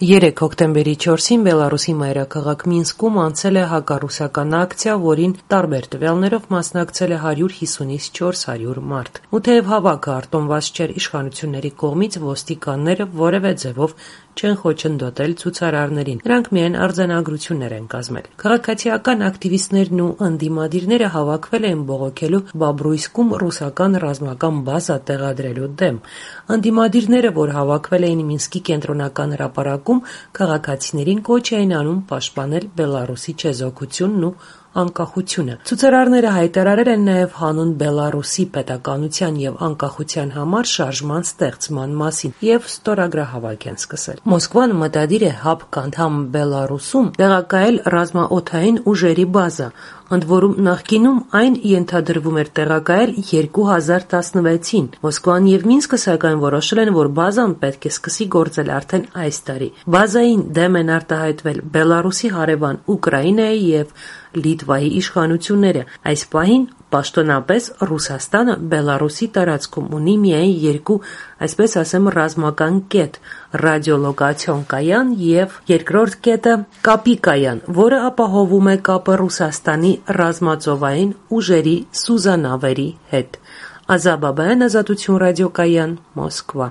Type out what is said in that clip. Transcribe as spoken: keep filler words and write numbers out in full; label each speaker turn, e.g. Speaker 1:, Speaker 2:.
Speaker 1: Երեկ հոկտեմբերի չորսին Բելարուսի մայրաքաղաք Մինսկում անցել է հակառուսական ակցիա, որին տարբեր տվյալներով մասնակցել է հարյուր հիսունից չորս հարյուր մարդ։ Ու թեև հավաքը արտոնված չէր իշխանությունների կողմից, ոստիկանները որևէ ձևով չեն խոչընդոտել ցուցարարներին, նրանք միայն արձանագրություններ են կազմել։ Քաղաքացիական ակտիվիստներն ու ընդդիմադիրները հավաքվել էին բողոքելու Բաբրույսկում ռուսական ռազմական բազա տեղադրելու դեմ։ Ընդդիմադիրները, որ հավաքվել էին Մինսկի կենտրոնական հրապարակում, քաղաքացիներին կոչ էին անում պաշտպանել Բելարուսի չեզոքությունն ու անկախությունը։ Ցուցարարները հայտարարել են նաև հանուն Բելարուսի պետականության եւ անկախության համար շարժման ստեղծման մասին եւ ստորագրահավաք են սկսել։ Մոսկվան մտադիր է ՀԱՊԿ անդամ Բելարուսում տեղակայել ռազմաօդային ուժերի բազա, ընդ որում նախկինում այն ենթադրվում էր տեղակայել երկու հազար տասնվեցին։ Մոսկվան եւ Մինսկը սակայն որոշել են, որ բազան պետք է սկսի գործել արդեն այս տարի։ Բազային դեմ են արտահայտվել Բելարուսի հարևան Ուկրաինայի եւ Լիտվայի իշխանությունները։ Այս պահին պաշտոնապես Ռուսաստանը Բելարուսի տարածքում ունի միայն երկու, այսպես ասեմ, ռազմական կետ՝ ռադիոլոկացիոն կայան եւ երկրորդ կետը՝ կապի կայան, որը ապահովում է կապը Ռուսաստանի ռազմածովային ուժերի սուզանավերի հետ։ Ազա Բաբայան, Ազատություն ռադիոկայան, Մոսկվա։